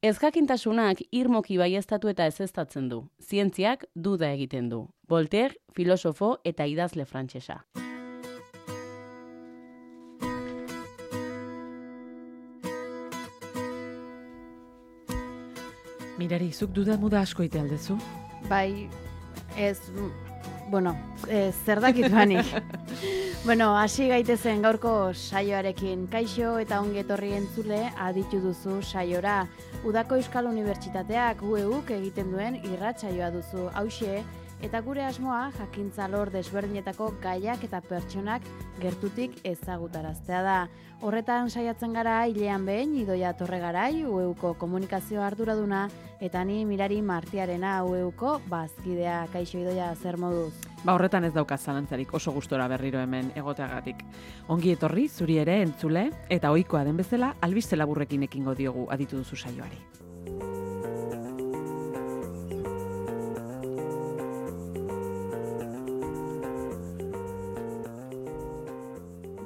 Ezjakintasunak irmoki baieztatu eta ezeztatzen du. Zientziak duda egiten du. Voltaire, filosofo eta idazle frantsesa. Mirari, zuk duda muda asko ite aldezu? Bai, zer dakit banik. Hasi gaitezen gaurko saioarekin. Kaixo eta ongi etorri entzule aditu duzu saiora. Udako Euskal Unibertsitateak UEUk egiten duen irratsaioa duzu. Hauxe, eta gure asmoa jakintza lor desberdinetako gaiak eta pertsonak gertutik ezagutaraztea da. Horretan saiatzen gara hilean behin Idoia Torregarai, UEUko komunikazio arduraduna, eta ni Mirari Martiarena, UEUko bazkidea. Kaixo Idoia, zer moduz? Horretan ez dauka zalantzarik, oso gustora berriro hemen egoteagatik. Ongi etorri, zuri ere entzule, eta ohikoa den bezala, albiste laburrekin ekingo diogu aditu duzu saioari.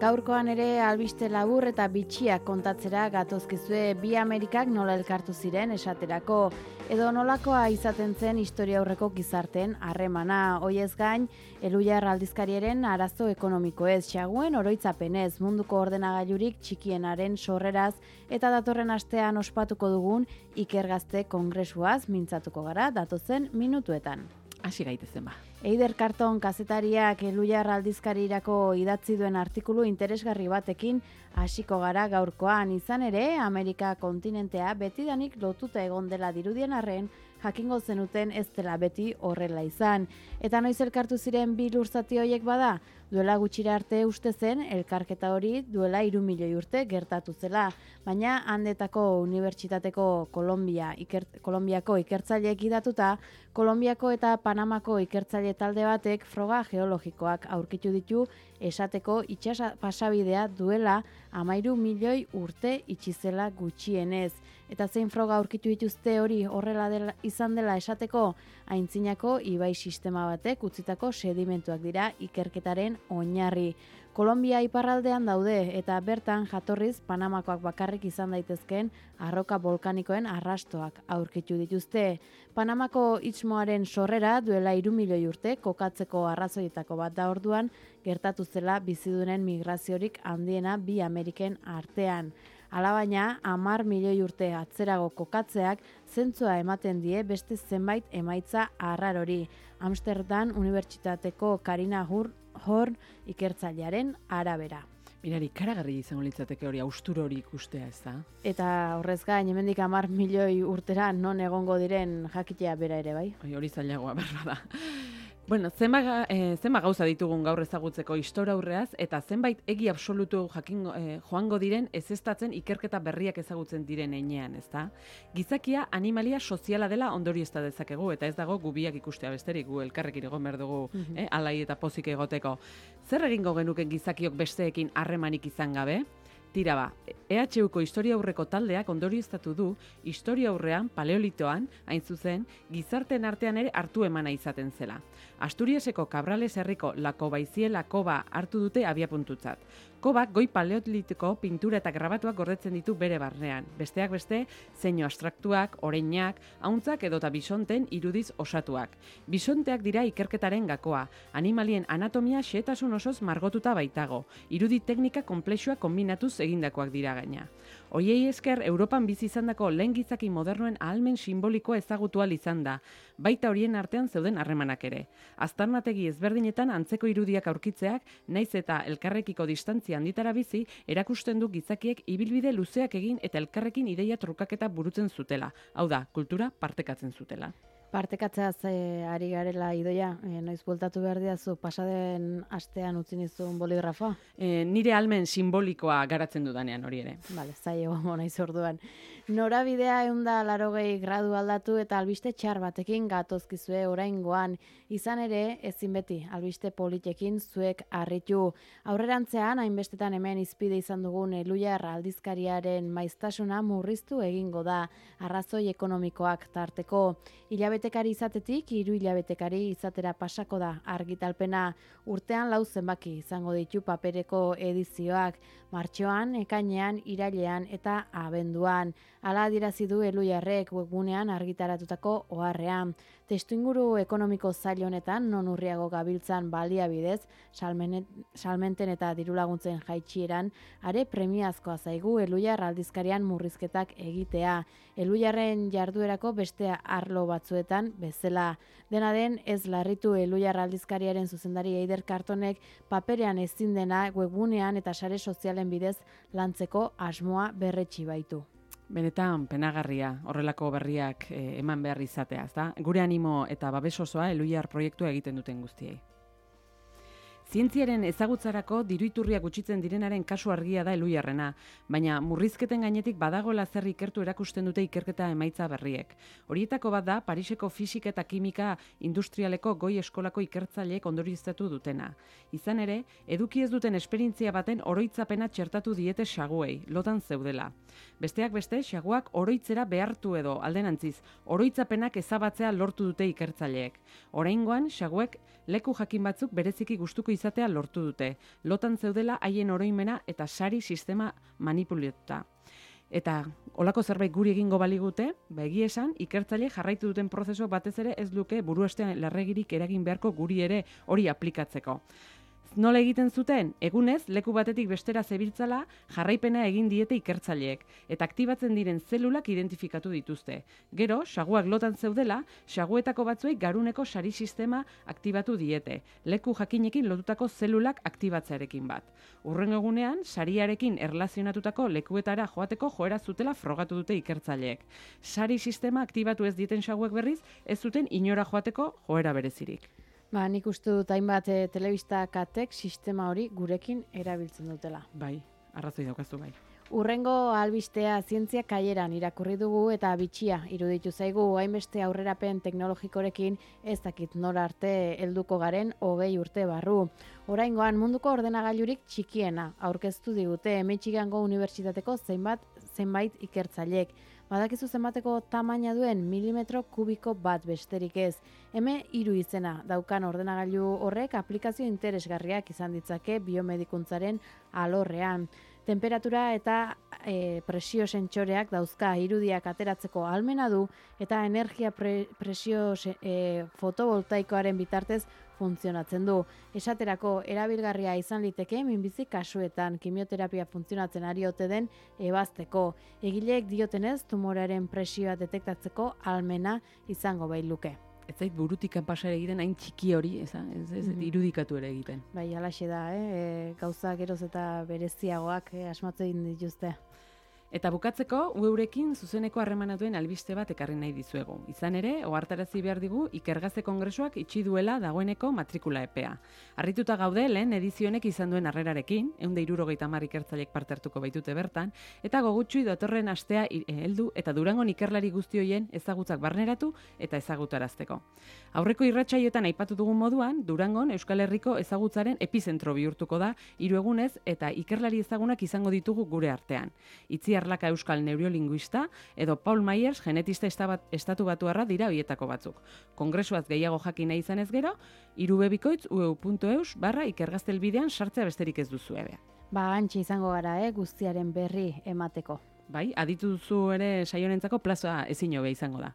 Gaurkoan ere albiste labur eta bitxiak kontatzera gatozkizue bi Amerikak nola elkartu ziren esaterako, edo nolakoa izaten zen historia aurreko gizarteen harremana. Hoiez gain, Elhuyar aldizkariaren arazo ekonomikoez, xaguen oroitzapenez, munduko ordenagailurik txikienaren sorreraz, eta datorren astean ospatuko dugun Ikergazte Kongresuaz mintzatuko gara datozen minutuetan. Hasi gaitezen ba. Eider Karton kazetariak Elhuyar aldizkarirako idatzi duen artikulu interesgarri batekin hasiko gara gaurkoan. Izan ere, Amerika kontinentea betidanik lotuta egon dela dirudien arren, jakingo zenuten ez dela beti horrela izan. Eta noiz elkartu ziren bi lurzati horiek bada? Duela gutxira arte uste zen, elkarketa hori duela 3 milioi urte gertatu zela. Baina handetako Unibertsitateko Kolonbiako ikertzaileek idatuta, Kolonbiako eta Panamako ikertzaile talde batek froga geologikoak aurkitu ditu esateko itsas pasabidea duela 13 milioi urte itxizela gutxienez. Eta zein froga aurkitu dituzte hori horrela izan dela esateko, aintzinako ibai sistema batek utzitako sedimentuak dira ikerketaren oinarri. Kolonbia iparraldean daude eta bertan jatorriz Panamakoak bakarrik izan daitezkeen arroka volkanikoen arrastoak aurkitu dituzte. Panamako istmoaren sorrera duela 3 milioi urte kokatzeko arrazoietako bat da orduan gertatu zela bizidunen migraziorik handiena bi Ameriken artean. Alabaina, 10 milioi urte atzerago kokatzeak zentzua ematen die beste zenbait emaitza arrarori. Amsterdam Unibertsitateko Karina Horn ikertzailearen arabera. Mirari, karagarri izango litzateke hori, austur hori ikustea, ez da? Eta horrez gain, hemendik 10 milioi urtera non egongo diren jakitea bera ere, bai? Hori zailagoa berra da. Bueno, zenba gauza ditugun gaur ezagutzeko historiaurreaz eta zenbait egi absolutu joango diren ezeztatzen ikerketa berriak ezagutzen diren heinean, ezta? Gizakia animalia soziala dela ondoriozta dezakegu eta ez dago gubiak ikustea besterik, gu elkarrekin egon behar dugu alai eta pozik egoteko. Zer egingo genuken gizakiok besteekin harremanik izan gabe? Tira ba, EHUko historiaurreko taldeak ondorioztatu du historiaurrean, paleolitoan, hain zuzen, gizarteen artean ere hartu emana izaten zela. Asturiaseko Cabrales herriko Lakobaiziela koba hartu dute abiapuntutzat. Kobak goi paleolitiko pintura eta grabatuak gordetzen ditu bere barnean. Besteak beste, zeinu abstraktuak, oreinak, hauntzak edota bisonten irudiz osatuak. Bisonteak dira ikerketaren gakoa. Animalien anatomia xehetasun osoz margotuta baitago. Irudi teknika konplexua kombinatuz egindakoak dira gaina. Hoiei esker, Europan bizi izandako lehen gizaki modernoen ahalmen simbolikoa ezagutu ahal izan da, baita horien artean zeuden harremanak ere. Aztarnategi ezberdinetan antzeko irudiak aurkitzeak, naiz eta elkarrekiko distantzia handitara bizi, erakusten du gizakiek ibilbide luzeak egin eta elkarrekin ideia trukaketa burutzen zutela. Hau da, kultura partekatzen zutela. Partekatzeaz ari garela Idoia, noiz bueltatu behar diazu pasaden astean utzi nizun boligrafoa? Nire ahalmen simbolikoa garatzen dudanean hori ere. Bale, zaio naiz orduan. Norabidea 180 gradu aldatu eta albiste txar batekin gatozkizue oraingoan. Izan ere, ezin beti, albiste politekin zuek harritu. Aurrerantzean, hainbestetan hemen izpide izan dugun Elhuyar aldizkariaren maiztasuna murriztu egingo da, arrazoi ekonomikoak tarteko. Hilabetekari izatetik, 3 hilabetekari izatera pasako da argitalpena. Urtean 4 zenbaki izango ditu papereko edizioak, martxoan, ekainean, irailean eta abenduan. Hala adierazi du Elhuyarrek webgunean argitaratutako oharrean. Testuinguru ekonomiko zail honetan non urriago gabiltzan baliabidez, salmenten eta dirulaguntzen jaitsieran, are premiazkoa zaigu Elhuyar aldizkarian murrizketak egitea. Elhuyarren jarduerako beste arlo batzuetan bezala. Dena den, ez larritu Elhuyar aldizkariaren zuzendari Eider Kartonek paperean ezin dena webgunean eta sare sozialen bidez lantzeko asmoa berretsi baitu. Benetan penagarria horrelako berriak eman behar izatea, ezta? Gure animo eta babes osoa Elhuyar proiektua egiten duten guztiei. Zientziaren ezagutzarako diru-iturriak gutxitzen direnaren kasu argia da Elhuyarrena, baina murrizketen gainetik badagoela zer ikertu erakusten dute ikerketa emaitza berriek. Horietako bat da Pariseko fisika eta kimika industrialeko goi eskolako ikertzaileek ondorioztatu dutena. Izan ere, eduki ez duten esperientzia baten oroitzapena txertatu diete saguei, lotan zeudela. Besteak beste, saguak oroitzera behartu edo alderantziz, oroitzapenak ezabatzea lortu dute ikertzaileek. Oraingoan, saguek leku jakin batzuk bereziki gustuko izatea lortu dute, lotan zeudela haien oroimena eta sari sistema manipulatuta. Eta olako zerbait guri egingo baligute, egia esan, ikertzaile jarraitu duten prozesu batez ere ez luke buruastean larregirik eragin beharko guri ere hori aplikatzeko. Nola egiten zuten? Egunez, leku batetik bestera zebiltzala jarraipena egin diete ikertzaileek, eta aktibatzen diren zelulak identifikatu dituzte. Gero, saguak lotan zeudela, saguetako batzuei garuneko sari sistema aktibatu diete, leku jakinekin lotutako zelulak aktibatzearekin bat. Hurrengo egunean, sariarekin erlazionatutako lekuetara joateko joera zutela frogatu dute ikertzaileek. Sari sistema aktibatu ez dieten saguek berriz, ez zuten inora joateko joera berezirik. Nik uste dut hainbat telebista katek sistema hori gurekin erabiltzen dutela. Bai, arrazoi daukazu bai. Urrengo albistea zientzia kaieran irakurri dugu eta bitxia iruditu zaigu hainbeste aurrerapen teknologikorekin ez dakit nora arte helduko garen 20 urte barru. Oraingoan munduko ordenagailurik txikiena aurkeztu digute Michigango Unibertsitateko zenbait ikertzaileek. Badakizu zenbateko tamaina duen milimetro kubiko bat besterik ez. M3 izena daukan ordenagailu horrek aplikazio interesgarriak izan ditzake biomedikuntzaren alorrean. Temperatura eta presio sentsoreak dauzka irudiak ateratzeko ahalmena du eta energia presio fotovoltaikoaren bitartez funtzionatzen du. Esaterako erabilgarria izan liteke minbizi kasuetan kimioterapia funtzionatzen ari ote den ebazteko. Egileek diotenez tumorearen presioa detektatzeko ahalmena izango bailuke. Ez zait burutik pasa egiten hain txiki hori, ez irudikatu ere egiten. Bai, halaxe da, gauza geroz eta bereziagoak asmatzen dituzte. Eta bukatzeko, eurekin zuzeneko harremanatuen albiste bat ekarri nahi dizuegu. Izan ere, ohartarazi behar digu Ikergazte Kongresuak itxi duela dagoeneko matrikula epea. Harrituta gaude lehen edizionek izan duen harrerarekin, 170 ikertzaileek parte hartuko baitute bertan, eta gogutxui datorren astea heldu eta Durangon ikerlari guzti horien ezagutzak barneratu eta ezagutarazteko. Aurreko irratsaioetan aipatu dugun moduan, Durangon Euskal Herriko ezagutzaren epizentro bihurtuko da 3 egunez eta ikerlari ezagunak izango ditugu gure artean. Itziar Laka euskal neurolinguista edo Paul Myers genetista estatu batuarra dira hoietako batzuk. Kongresuaz gehiago jakin nahi izanez gero, 3bikoitz.eu.eus/ikergaztelbidean sartzea besterik ez duzu ebe. Antxe izango gara, guztiaren berri emateko. Bai, aditu duzu ere saionentzako plaza ezin hobe izango da.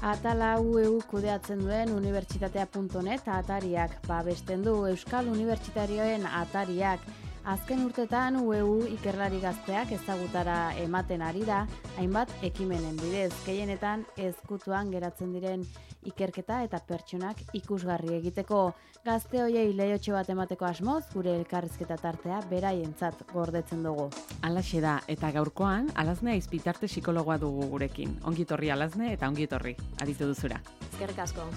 Atala UEU kudeatzen duen unibertsitatea.net atariak babesten du Euskal Unibertsitarioen atariak. Azken urtetan UEU ikerlari gazteak ezagutara ematen ari da, hainbat ekimenen bidez, gehienetan ezkutuan geratzen diren ikerketa eta pertsonak ikusgarri egiteko. Gazte hoiei leiotxo bat emateko asmoz, gure elkarrizketa tartea beraientzat gordetzen dugu. Halaxe da, eta gaurkoan, Alazne Aizpitarte psikologoa dugu gurekin. Ongitorri Alazne eta ongitorri, aditu duzura. Eskerrik asko.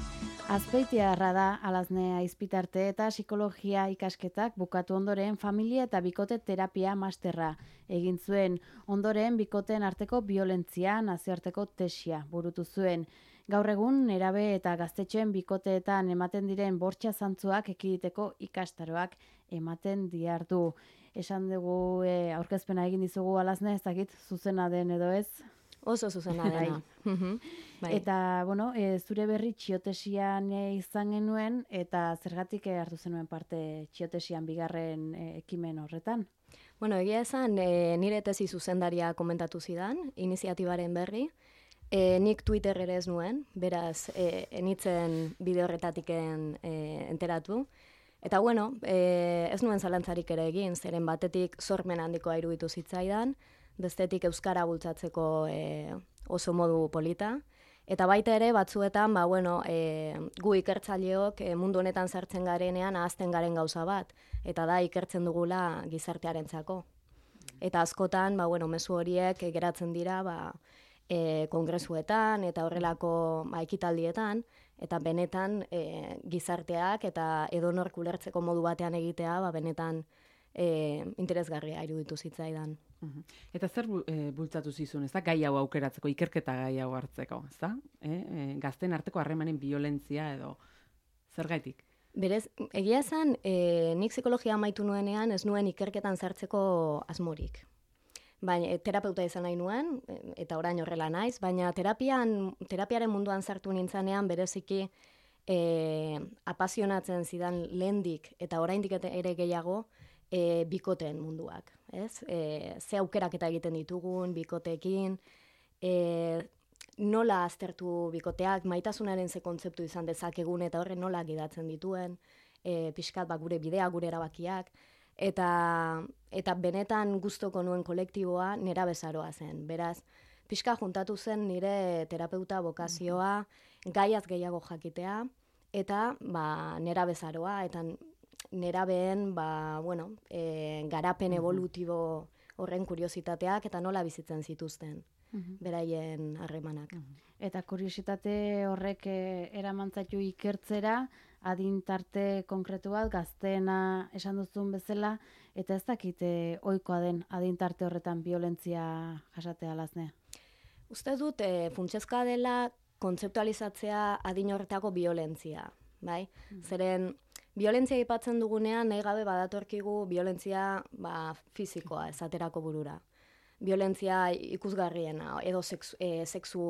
Azpeitiarra da Alazne Aizpitarte eta psikologia ikasketak bukatu ondoren familia eta bikote terapia masterra egin zuen. Ondoren bikoteen arteko biolentzia nazioarteko tesia burutu zuen. Gaur egun nerabe eta gaztetxoen bikoteetan ematen diren bortxa zantzuak ekiditeko ikastaroak ematen diardu. Esan dugu aurkezpena egin dizugu alazne, ez dakit zuzena den edo ez. Oso zuzena dena. Bai. Eta, bueno, zure berri txiotesian izan genuen, eta zergatik hartu zenuen parte txiotesian bigarren ekimen horretan? Bueno, egia esan, nire tesi zuzendaria komentatu zidan, iniziatibaren berri. Nik Twitter ere ez nuen, beraz, enitzen bideo horretatik enteratu. Eta, bueno, ez nuen zalantzarik ere egin, zeren batetik sormen handikoa iruditu zitzaidan, bestetik euskara bultzatzeko oso modu polita. Eta baita ere, batzuetan, gu ikertzaileok mundu honetan sartzen garenean ahazten garen gauza bat, eta da ikertzen dugula gizartearentzako. Eta askotan, mezu horiek geratzen dira, kongresuetan eta horrelako ekitaldietan, eta benetan gizarteak eta edonork ulertzeko modu batean egitea, benetan interesgarria iruditu zitzaidan. Eta zer bultzatu zizun, ez da, gai hau aukeratzeko, ikerketa gai hau hartzeko, ez da? Gazten arteko harremanen violentzia edo zergaitik? Berez, egia esan, nik psikologia amaitu nuenean ez nuen ikerketan sartzeko asmorik. Baina terapeuta izan nahi nuen, eta orain horrela naiz, baina terapiaren munduan sartu nintzanean bereziki apasionatzen zidan lehendik eta oraindik ere gehiago bikoteen munduak. Ez? Ze aukerak eta egiten ditugun bikoteekin, nola aztertu bikoteak, maitasunaren ze kontzeptu izan dezakegun eta horre nola gidatzen dituen, pixkat gure bidea, gure erabakiak, eta benetan gustoko nuen kolektiboa nerabezaroa zen. Beraz, pixka juntatu zen nire terapeuta bokazioa, gaiaz gehiago jakitea, eta nerabezaroa, eta nerabeen garapen evolutibo horren kuriositateak eta nola bizitzen zituzten beraien harremanak. Eta kuriositate horrek eramantzatu ikertzera, adintarte konkretu bat, gazteena esan duzun bezala, eta ez dakit ohikoa den adintarte horretan violentzia jasatea alazne. Uste dut funtsezkoa dela kontzeptualizatzea adin horretako violentzia, bai? Zeren violentzia aipatzen dugunean nahi gabe badatorkigu violentzia fisikoa esaterako burura. Violentzia ikusgarriena, edo sexu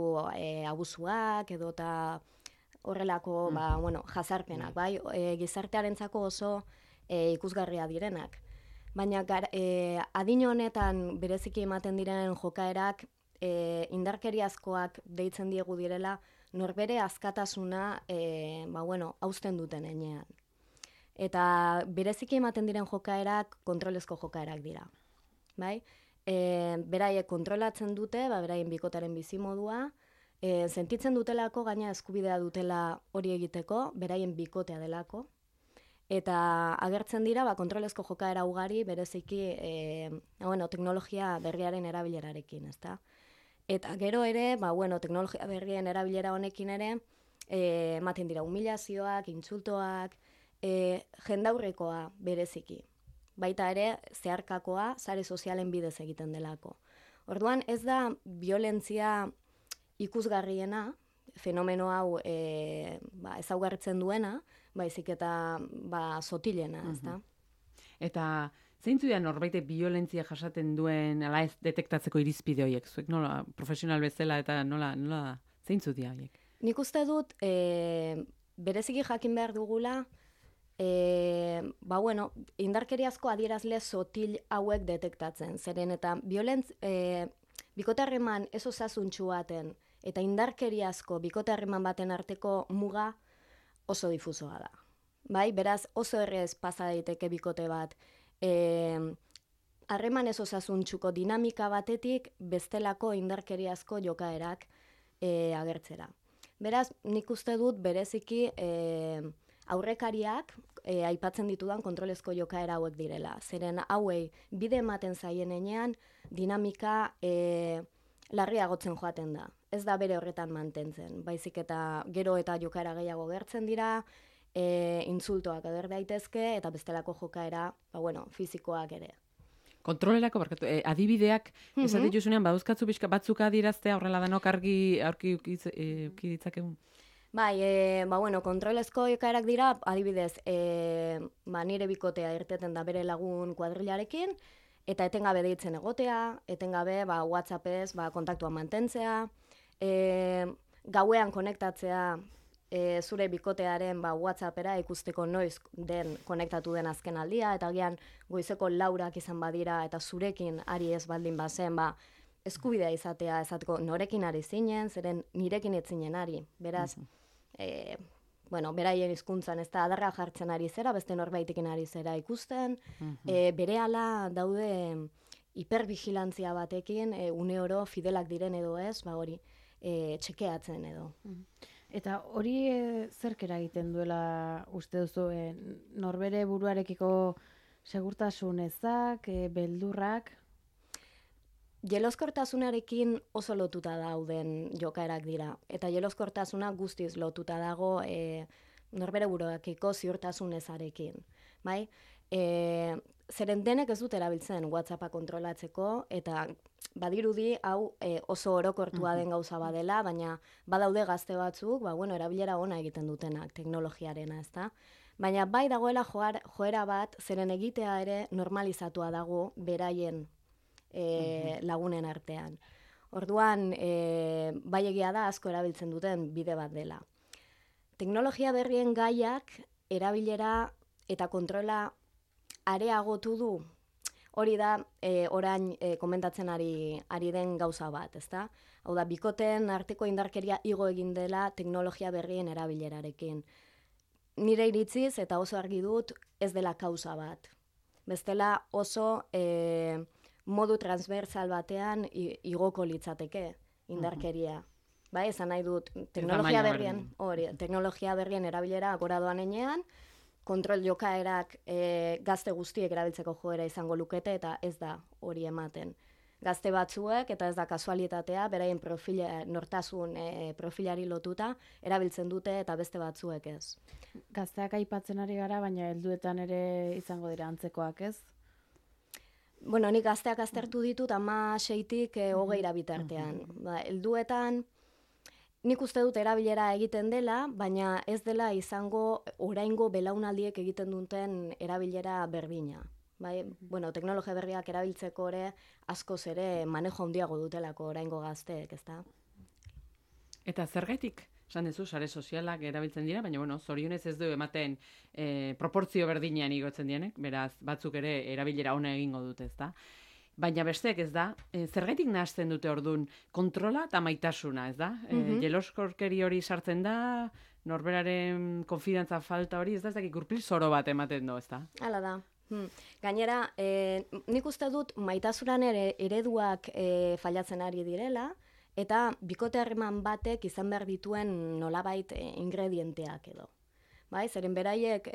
abusuak, edo eta horrelako jazarpenak, bai? Gizartearentzako oso ikusgarria direnak. Baina adin honetan bereziki ematen diren jokaerak indarkeriazkoak deitzen diegu direla norbere askatasuna hausten duten enean. Eta bereziki ematen diren jokaerak kontrolezko jokaerak dira. Bai? Beraiek kontrolatzen dute, beraien bikotaren bizimodua, sentitzen dutelako, gaina eskubidea dutela hori egiteko, beraien bikotea delako, eta agertzen dira kontrolezko jokaera ugari bereziki teknologia berriaren erabilerarekin, ezta? Eta gero ere, teknologia berrien erabilera honekin ere, ematen dira humilazioak, intsultoak, jendaurrekoa bereziki. Baita ere, zeharkakoa sare sozialen bidez egiten delako. Orduan, ez da violentzia ikusgarriena, fenomeno hau ezaugarritzen duena, baizik eta sotilena, ez da? Eta zeintzu da norbaite violentzia jasaten duen ala ez detektatzeko irizpide horiek? Zuek nola profesional bezala eta nola zeintzu dira horiek? Nik uste dut bereziki jakin behar dugula indarkeriazko adierazle sotil hauek detektatzen. Zeren eta bikote harreman ez osasuntsu baten eta indarkeriazko bikote harreman baten arteko muga oso difusoa da. Bai, beraz oso errez pasa daiteke bikote bat harreman ez osasuntsuko dinamika batetik bestelako indarkeriazko jokaerak agertzera. Beraz, nik uste dut bereziki aurrekariak aipatzen ditudan kontrolezko jokaera hauek direla. Zeren hauei bide ematen zaien enean dinamika larriagotzen joaten da. Ez da bere horretan mantentzen. Baizik eta gero eta jokaera gehiago gertzen dira, insultoak ager daitezke eta bestelako jokaera, fisikoak ere. Kontrolerako, adibideak, esaten juzunean, badauzkatzu pixka batzuk adieraztea horrela danok argi ditzakegu? Bai, kontrolezko jokaerak dira, adibidez, nire bikotea irteten da bere lagun kuadrilarekin, eta etengabe deitzen egotea, etengabe WhatsAppez kontaktua mantentzea, gauean konektatzea zure bikotearen WhatsAppera ikusteko noiz den konektatu den azken aldia, eta gian goizeko 4 izan badira, eta zurekin ari ez baldin bazen, eskubidea izatea, esateko norekin ari zinen, zeren nirekin ez zinen ari, beraz, beraien hizkuntzan ez da adarra jartzen ari zera, beste norbaitekin ari zera ikusten, berehala daude hipervigilantzia batekin, une oro fidelak diren edo ez, hori txekeatzen edo. Eta hori zerk eragiten duela uste duzu, norbere buruarekiko segurtasun ezak, beldurrak? Jeloskortasunarekin oso lotuta dauden jokaerak dira. Eta jeloskortasuna guztiz lotuta dago norbere buruakiko ziurtasun ezarekin. Bai? Zeren denek ez dut erabiltzen WhatsAppa kontrolatzeko, eta badirudi hau oso orokortua den gauza badela, baina badaude gazte batzuk, erabilera ona egiten dutenak teknologiarena, ezta? Baina bai dagoela joera bat, zeren egitea ere normalizatua dago beraien lagunen artean. Orduan, bai egia da asko erabiltzen duten bide bat dela. Teknologia berrien gaiak erabilera eta kontrola areagotu du. Hori da, orain komentatzen ari den gauza bat, ezta? Hau da, bikoteen arteko indarkeria igo egin dela teknologia berrien erabilerarekin. Nire iritziz eta oso argi dut ez dela kausa bat. Bestela oso modu transversal batean igoko litzateke indarkeria. Bai, esan nahi dut, teknologia berrien erabilera gora doan enean, kontrol jokaerak gazte guztiek erabiltzeko joera izango lukete, eta ez da hori ematen. Gazte batzuek, eta ez da kasualitatea, beraien nortasun profilari lotuta, erabiltzen dute eta beste batzuek ez. Gazteak aipatzen ari gara, baina helduetan ere izango dira antzekoak, ez? Nik gazteak aztertu ditut 16-tik 20 bitartean. Helduetan, nik uste dut erabilera egiten dela, baina ez dela izango oraingo belaunaldiek egiten duten erabilera berdina. Teknologia berriak erabiltzeko ere askoz ere manejo handiago dutelako oraingo gazteek, ezta? Eta zergaitik? Esan duzu, sare sozialak erabiltzen dira, baina zorionez ez du ematen proportzio berdinean igotzen dienek, beraz batzuk ere erabilera ona egingo dute, ezta? Baina besteek ez da, zergaitik nahazten dute ordun kontrola eta maitasuna, ez da? Jeloskorkeri hori sartzen da, norberaren konfidantza falta hori, ez da, ez dakik gurpil zoro bat ematen du, ez da? Hala da. Gainera, nik uste dut maitasunan ereduak fallatzen ari direla, eta bikote harreman batek izan behar dituen nolabait ingredienteak edo. Zeren beraiek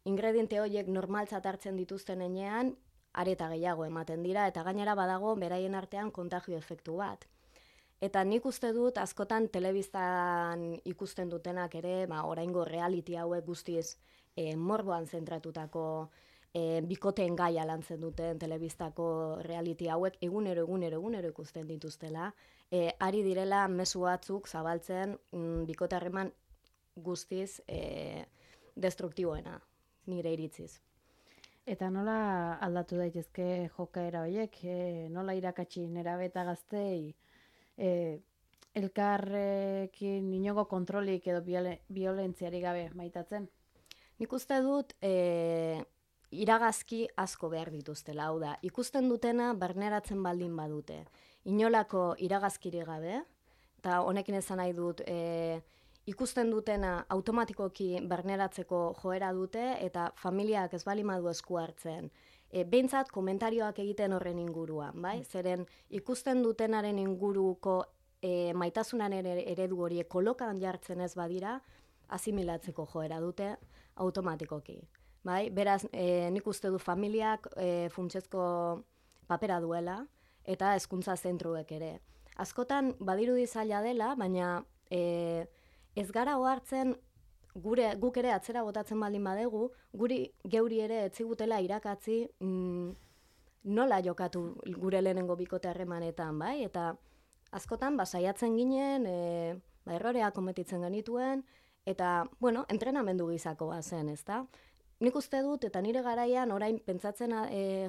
ingrediente horiek normaltzat hartzen dituzten enean, areta gehiago ematen dira, eta gainera badago beraien artean kontagio efektu bat. Eta nik uste dut askotan telebistan ikusten dutenak ere, oraingo reality hauek guztiz morboan zentratutako bikoteen gaia lantzen duten telebistako reality hauek egunero ikusten dituztela, ari direla mezu batzuk zabaltzen bikote harreman guztiz destruktiboena, nire iritziz. Eta nola aldatu daitezke jokaera horiek, nola irakatsi nerabe eta gaztei elkarrekin inongo kontrolik edo violentziari gabe maitatzen? Nik uste dut iragazki asko behar dituztela, hau da, ikusten dutena barneratzen baldin badute. Inolako iragazkiri gabe, eta honekin esan nahi dut, ikusten dutena automatikoki barneratzeko joera dute, eta familiak ez bali madu esku hartzen. Behintzat komentarioak egiten horren inguruan, bai? Zeren ikusten dutenaren inguruko maitasunaren eredu hori kolokan jartzen ez badira, asimilatzeko joera dute automatikoki. Bai? Beraz, nik uste du familiak funtsezko papera duela, eta hezkuntza zentruek ere. Askotan badirudi zaila dela, baina ez gara ohartzen guk ere atzera botatzen baldin badegu, geuri ere etzigutela irakatzi nola jokatu gure lehenengo bikote harremanetan, bai? Eta askotan saiatzen ginen erroreak kometitzen genituen, eta, bueno, entrenamendu gizakoa zen, ezta? Nik uste dut, eta nire garaian, orain pentsatzen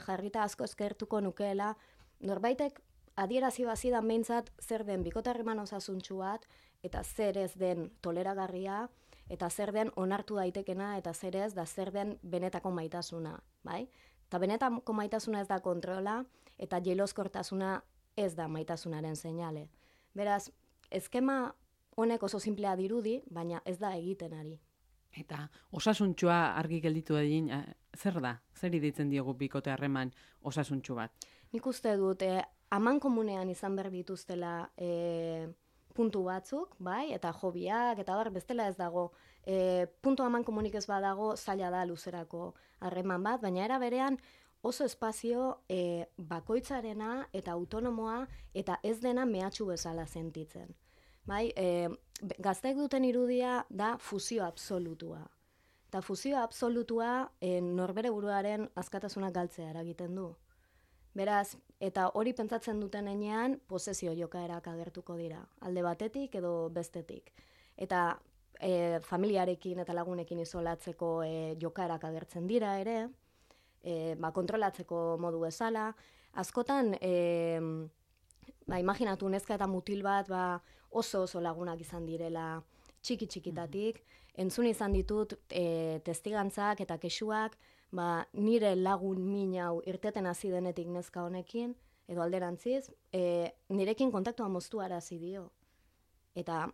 jarrita asko eskertuko nukeela, norbaitek adierazi bazidan behintzat zer den bikotarreman osasuntsu bat, eta zer ez den toleragarria, eta zer den onartu daitekena, eta zer ez, da zer den benetako maitasuna, bai? Eta benetako maitasuna ez da kontrola, eta jeloskortasuna ez da maitasunaren seinale. Beraz, eskema honek oso simplea dirudi, baina ez da egiten ari. Eta osasuntxua argi gelditu egin, zer da? Zer iditzen diogu bikote harreman osasuntxu bat? Nik uste dut, aman komunean izan behar dituztela puntu batzuk, bai, eta hobiak, eta bestela ez dago, puntu aman komunik ez badago, zaila da luzerako harreman bat, baina era berean oso espazio bakoitzarena eta autonomoa eta ez dena mehatxu bezala sentitzen. Bai, gazteek duten irudia da fusio absolutua. Eta fusio absolutua norbere buruaren askatasuna galtzea eragiten du. Beraz, eta hori pentsatzen duten enean, posesio jokaerak agertuko dira. Alde batetik edo bestetik. Eta familiarekin eta lagunekin isolatzeko jokaerak agertzen dira ere, kontrolatzeko modu bezala. Askotan, imaginatu neska eta mutil bat oso lagunak izan direla txiki-txikitatik. Entzun izan ditut testigantzak eta kexuak, nire lagun min hau irteten hasi denetik neska honekin, edo alderantziz, nirekin kontaktua moztu arazi dio. Eta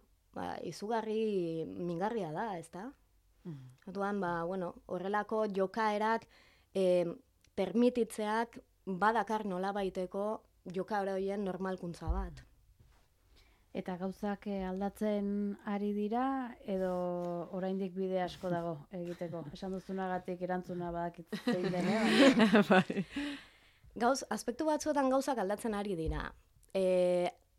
izugarri mingarria da, ezta? Orduan, horrelako jokaerak permititzeak badakar nolabaiteko jokaera horien normalkuntza bat. Eta gauzak aldatzen ari dira, edo oraindik bide asko dago egiteko? Esan duzunagatik erantzuna badakitzein dene? Aspektu batzuetan gauzak aldatzen ari dira.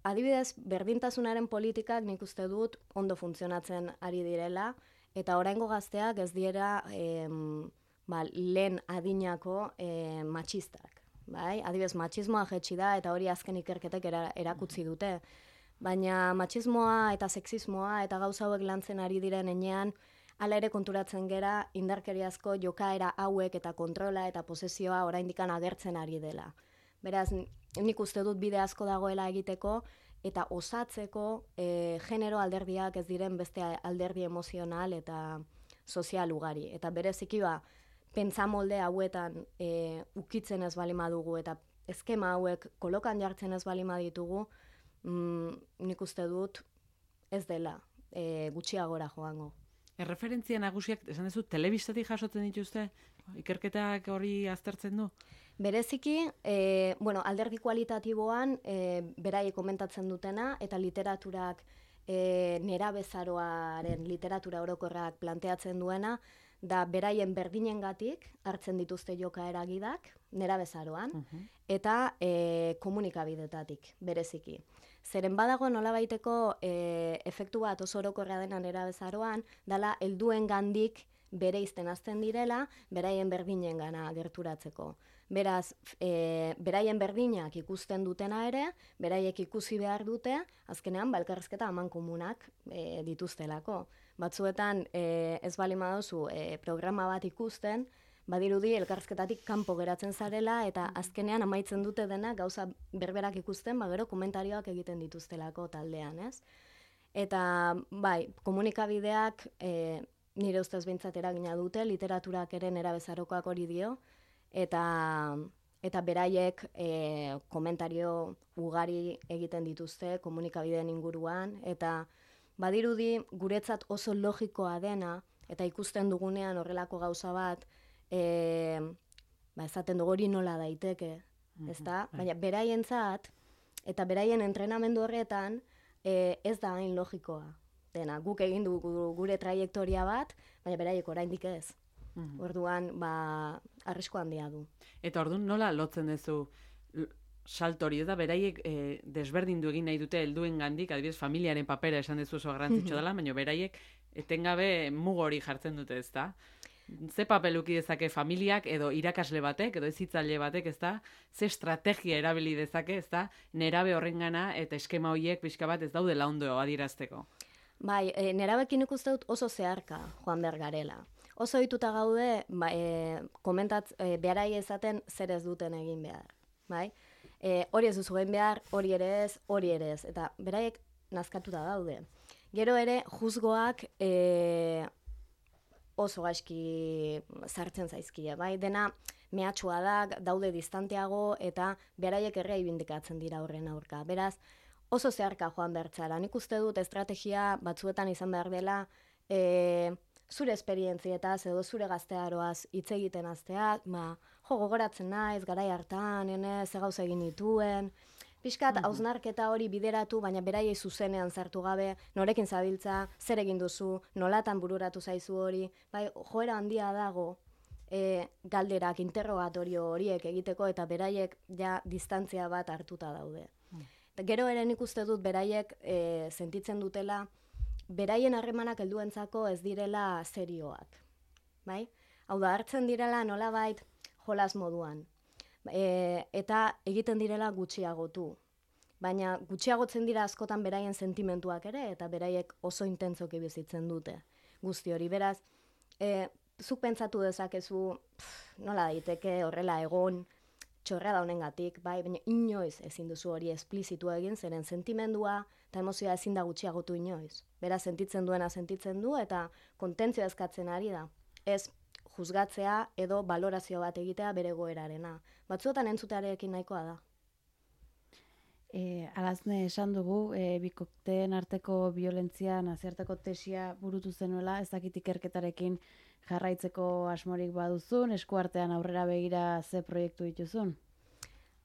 Adibidez, berdintasunaren politikak nik uste dut ondo funtzionatzen ari direla, eta oraingo gazteak ez dira lehen adinako matxistak. Adibidez, matxismoa jetxi da, eta hori azken ikerketek erakutsi dute. Baina matxismoa eta sexismoa eta gauza hauek lantzen ari diren enean, hala ere konturatzen gera indarkeriazko jokaera hauek eta kontrola eta posesioa oraindikan agertzen ari dela. Beraz, nik uste dut bide asko dagoela egiteko eta osatzeko genero alderdiak ez diren beste alderdi emozional eta sozial ugari. Eta bereziki pentsamolde hauetan ukitzen ez bali madugu eta eskema hauek kolokan jartzen ez bali maditugu, nik uste dut ez dela gutxiagora joango. Erreferentzia nagusiak, esan duzu, telebistatik jasotzen dituzte? Ikerketak hori aztertzen du? Bereziki, alderdi kualitatiboan beraiek komentatzen dutena eta literaturak nerabezaroaren literatura orokorrak planteatzen duena, da beraien berdinengatik hartzen dituzte jokaera gidak, nerabezaroan, eta komunikabidetatik, bereziki. Zeren badago nolabaiteko efektu bat oso orokorra dena nerabezaroan, dala helduen gandik bere izten azten direla, beraien berdinen gana gerturatzeko. Beraz, beraien berdinak ikusten dutena ere, beraiek ikusi behar dute, azkenean elkarrizketa aman komunak dituztelako. Batzuetan ez bali madozu programa bat ikusten, badirudi elkarrizketatik kanpo geratzen zarela eta azkenean amaitzen dute dena gauza berberak ikusten, gero komentarioak egiten dituztelako taldean, ez? Eta komunikabideak nire ustez behintzat eragina dute, literaturak ere nerabezarokoak hori dio, eta beraiek komentario ugari egiten dituzte komunikabideen inguruan, eta badirudi guretzat oso logikoa dena, eta ikusten dugunean horrelako gauza bat, esaten dugu hori nola daiteke, ezta? Baina beraientzat, eta beraien entrenamendu horretan, ez da hain logikoa dena. Guk egin dugu gure traiektoria bat, baina beraiek oraindik ez. Orduan, arrisko handia du. Eta orduan nola lotzen duzu salto hori, eta beraiek desberdindu egin nahi dute helduen gandik, adibidez familiaren papera esan duzu oso garrantzitsua dela, baina beraiek etengabe mugo hori jartzen dute, ezta? Ze papeluki dezake familiak edo irakasle batek, edo hezitzaile batek, ezta? Ze estrategia erabili dezake, ezta? Nerabe horrengana eta eskema horiek pixka bat ez daudela ondo adierazteko. Bai, nerabekin ikuste dut oso zeharka joan behar garela. Oso ohituta gaude, beharai ezaten zer ez duten egin behar. Bai? Hori ez duzu egin behar, hori ere ez. Eta beraiek nazkatuta daude. Gero ere, juzgoak oso gaizki sartzen zaizkie. Bai? Dena mehatxua da, daude distanteago, eta beraiek errea ibindikatzen dira horren aurka. Beraz, oso zeharka joan bertzara. Nik uste dut estrategia batzuetan izan behar dela zure esperientzietaz edo zure gaztearoaz hitz egiten hastea, gogoratzen naiz, garai hartan, ze gauza egin dituen, pixkat hausnarketa hori bideratu, baina beraiei zuzenean sartu gabe, norekin zabiltza, zer egin duzu, nolatan bururatu zaizu hori, bai, joera handia dago, galderak, interrogatorio horiek egiteko, eta beraiek ja distantzia bat hartuta daude. Gero ere nik uste dut beraiek sentitzen dutela, beraien harremanak helduentzako ez direla serioak. Bai? Hau da, hartzen direla nolabait jolas moduan. Eta egiten direla gutxiagotu. Baina gutxiagotzen dira askotan beraien sentimentuak ere, eta beraiek oso intentzoki bizitzen dute. Guzti hori, beraz, zuk pentsatu dezakezu, nola daiteke horrela egon, txorra da honengatik, bai, baina inoiz ezin duzu hori esplizitu egin, zeren sentimendua eta emozioa ezin da gutxiagotu inoiz. Beraz, sentitzen duena sentitzen du eta kontentzioa eskatzen ari da. Ez juzgatzea edo balorazio bat egitea bere goerarena. Batzuetan entzutearekin nahikoa da. Alazne esan dugu, bikokteen arteko violentzia nazioarteko tesia burutu zenuela, ez dakit ikerketarekin jarraitzeko asmorik baduzun, eskuartean aurrera begira ze proiektu dituzun?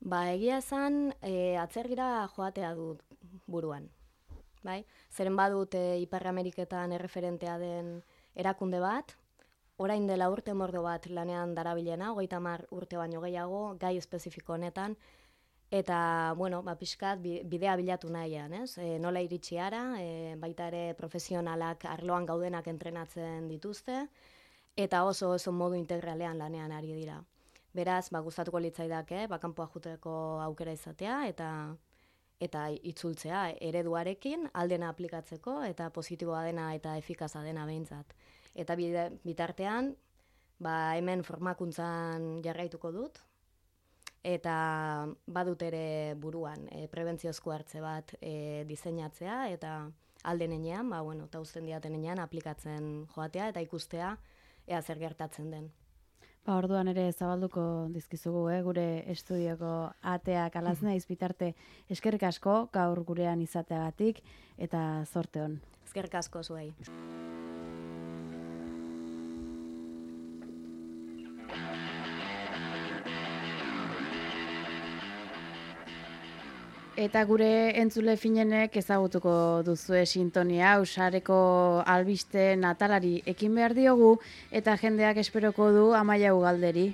Egia esan, atzergira joatea dut buruan. Bai? Zeren badut Ipar Ameriketan erreferentea den erakunde bat, orain dela urte mordo bat lanean darabilena, 30 urte baino gehiago, gai espezifiko honetan, eta, pixkat bidea bilatu nahian, ez? Nola iritsi ara, baita ere profesionalak arloan gaudenak entrenatzen dituzte, eta oso modu integralean lanean ari dira. Beraz, gustatuko litzaidake, kanpoa joateko aukera izatea, eta itzultzea ereduarekin aldena aplikatzeko, eta positiboa dena eta efikaza dena behintzat. Eta bitartean, hemen formakuntzan jarraituko dut, eta badut ere buruan prebentziozko hartze bat diseinatzea, eta aldenean, eta uzten diatenean aplikatzen joatea, eta ikustea ea zer gertatzen den. Orduan ere zabalduko dizkizugu, gure estudioko ateak Alazne izbitarte. Eskerrik asko gaur gurean izateagatik eta zorte on. Eskerrik asko zuei. Eta gure entzule finenek ezagutuko duzue sintonia, usareko albiste natalari ekin behar diogu, eta jendeak esperoko du Amaia Ugalderi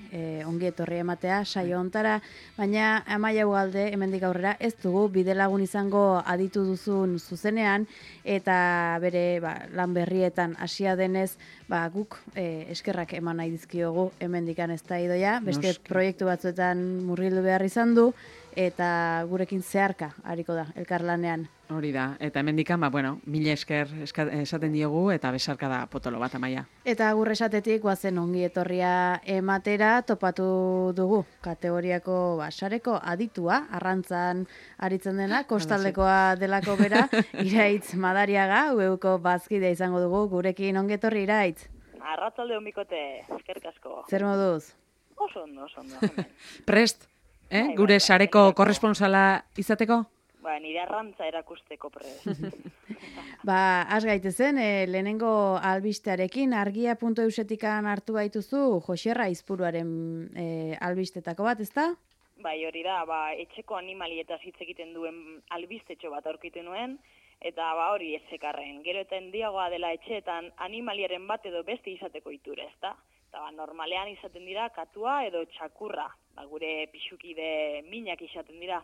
ongi etorri ematea saio hontara, baina Amaia Ugalde hemendik aurrera ez dugu bidelagun izango aditu duzun zuzenean, eta bere lan berrietan hasia denez, guk eskerrak eman nahi dizkiogu hemendikan ez da idoia, beste proiektu batzuetan murgildu behar izan du, eta gurekin zeharka hariko da, elkarlanean. Hori da, eta hemendikan, mila esker esaten diogu, eta besarka da potolo bat, Amaia. Eta agur esatetik, guazen ongi etorria ematera, topatu dugu, kategoriako sareko aditua, arrantzan aritzen dena, kostaldekoa delako bera, Iraitz Madariaga, UEUko bazkidea izango dugu, gurekin ongi etorri Iraitz. Arratzalde honbikote, eskerrik asko. Zer moduz? Oso ondo. Prest? Gure sareko korresponsala izateko? Nire arrantza erakusteko prest. Az gaitezen, lehenengo albistearekin, argia.eusetikan hartu baituzu, Joserra Izpuruaren albistetako bat, ezta? Hori da, etxeko animalietaz hitz egiten duen albistetxo bat aurkitu nuen, eta hori ezekarren. Gero eta handiagoa dela etxeetan animaliaren bat edo beste izateko iture, ezta? Eta normalean izaten dira katua edo txakurra, gure pixukide minak izaten dira.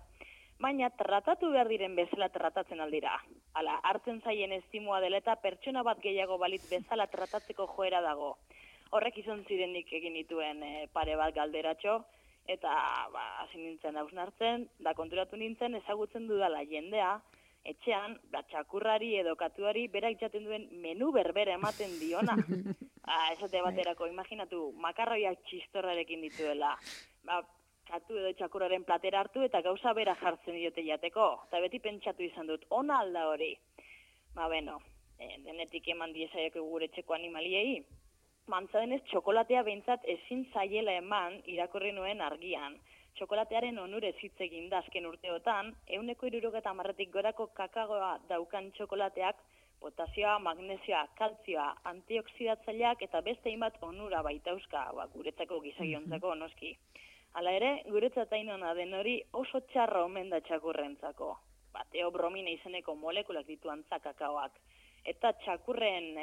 Baina tratatu behar diren bezala tratatzen aldira. Hala, hartzen zaien estimua dela eta pertsona bat gehiago balit bezala tratatzeko joera dago. Horrek izan zirenik egin dituen pare bat galderatxo, eta hasi nintzen hausnartzen, da konturatu nintzen ezagutzen dudala jendea, etxean, txakurrari edo katuari berak jaten duen menu berbera ematen diona. Esate baterako, imaginatu, makarroiak txistorrarekin dituela. Katu edo txakurraren platera hartu eta gauza bera jartzen diote jateko. Eta beti pentsatu izan dut, ona alda hori. Denetik eman diezaioko gure etxeko animaliei. Mantza denez, txokolatea behintzat ezin zaiela eman irakurri nuen argian. Txokolatearen onurez hitz egin da azken urteotan, 160 gorako kakaoa daukan txokolateak potasioa, magnesioa, kaltzioa, antioksidatzaileak eta beste hainbat onura baitauzka, guretzako gizagiontzako noski. Hala ere, guretzat ainona den hori oso txarra omen da txakurrentzako. Teobromina izeneko molekulak ditu antza kakaoak. Eta txakurren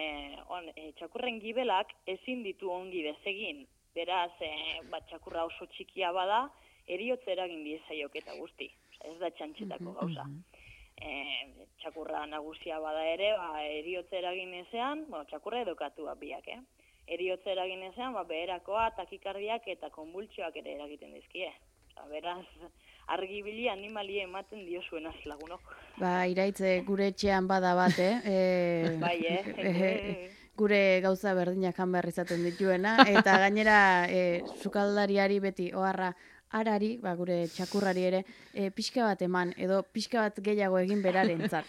gibelak ezin ditu ongi desegin. Beraz, txakurra oso txikia bada, eriotza eragin diezaiok eta guzti. Ez da txantxetako gauza. Txakurra nagusia bada ere, eriotza eragin ezean, txakurra edokatua biak, Eriotza eragin ezean, beherakoa, takikardiak eta konbultsioak ere eragiten dizkie. Beraz, argibili animalie ematen diozuenaz lagunok. Iraitze gure etxean bada bat, gure gauza berdinak jan behar izaten dituena, eta gainera sukaldariari beti oharra harari, gure txakurrari ere, pixka bat eman, edo pixka bat gehiago egin berarentzat.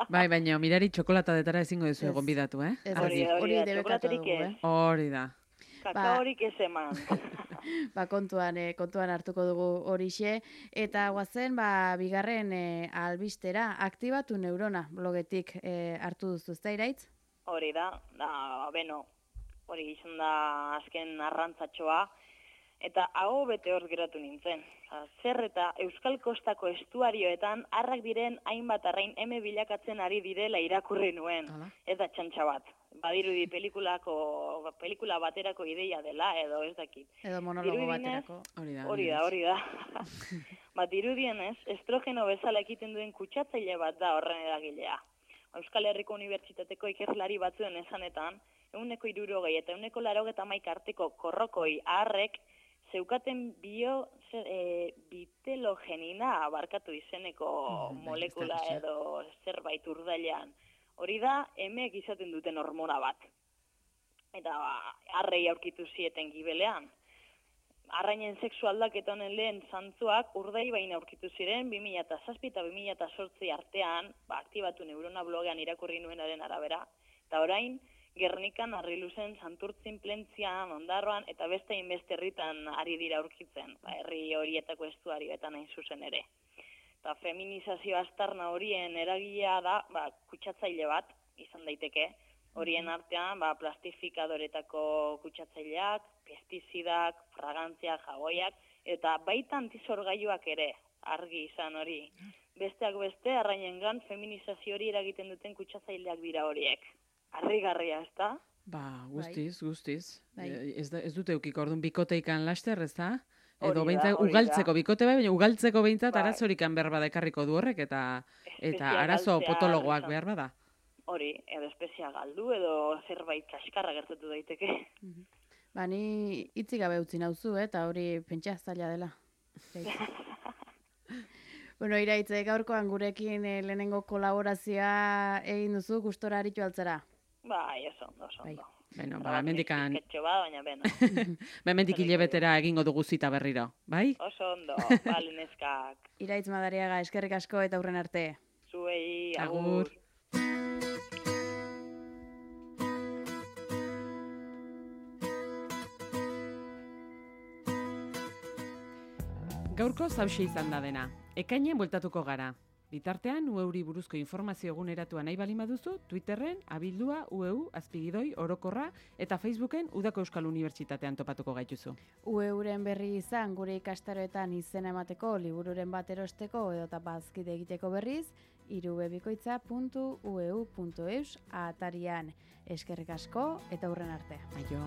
Baina mirari txokolatadetara ezingo duzu egon bidatu, Hori da, txokolaterik ez. Hori da. Kakaorik ez eman. Kontuan hartuko dugu horixe. Eta guazen, bigarren albistera, aktibatu neurona blogetik hartu duzu, ezta Iraitz? Hori da, hori izan da azken arrantzatxoa, eta hau bete hor geratu nintzen. Zer eta Euskal Kostako estuarioetan harrak diren hainbat arrain bilakatzen ari direla irakurri nuen. Ez da txantxa bat. Badirudi pelikula baterako ideia dela, edo ez dakit. Edo monologo baterako. Hori da. Dirudienez, estrogeno bezala ekiten duen kutsatzaile bat da horren eragilea. Euskal Herriko Unibertsitateko ikerlari batzuen esanetan, 160 eta 180 arteko korrokoi harrek zeukaten bitelogenina barkatu izeneko molekula edo zerbait urdailean. Hori da, emeek izaten duten hormona bat. Eta harrei aurkitu zieten gibelean. Arrainen sexu aldaketa honen lehen zantzuak urdaibain aurkitu ziren 2007 eta 2008 artean, aktibatu neurona blogean irakurri nuenaren arabera. Eta orain, Gernikan, Arriluzen, Santurtzin, Plentzian, Ondarroan eta beste inbeste herritan ari dira aurkitzen, herri horietako estuarioetan hain zuzen ere. Eta feminizazio aztarna horien eragilea da, kutsatzaile bat izan daiteke, horien artean plastifikadoretako kutsatzaileak, pestizidak, fragantziak, jagoiak, eta baita antizorgailuak ere, argi izan hori. Besteak beste, arrainengan feminizazio hori eragiten duten kutsatzaileak dira horiek. Harrigarria, ez da? Guztiz. Ez dute ukiko, orduan bikoteikan laster, ez da? Edo ugaltzeko bikote baina ugaltzeko behintzat arazorikan behar bada ekarriko du horrek, eta arazo potologoak behar bada. Hori, edo espezia galdu, edo zerbait kaskarra gertatu daiteke. Ni hitzik gabe utzi nauzu, eta hori pentsa zaila dela. Iraitz, gaurkoan gurekin lehenengo kolaborazioa egin duzu, gustora aritu altzara. Oso ondo. Mendikan... Mendik hilebetera egingo dugu zita berriro, bai? Oso ondo, neskak. Iraitz Madariaga, eskerrik asko eta hurren arte. Zuei, agur. Gaurko zauxe izan da dena. Ekainen bueltatuko gara. Bitartean, UEUri buruzko informazio eguneratua nahi bali baduzu, Twitterren, abildua, UEU, azpigidoi, orokorra, eta Facebooken Udako Euskal Unibertsitatean topatuko gaituzu. UEUren berri izan, gure ikastaroetan izena emateko, libururen bat erosteko, edota bazkide egiteko berriz, irubebikoitza.ueu.eus atarian. Eskerrik asko, eta hurren arte. Aio.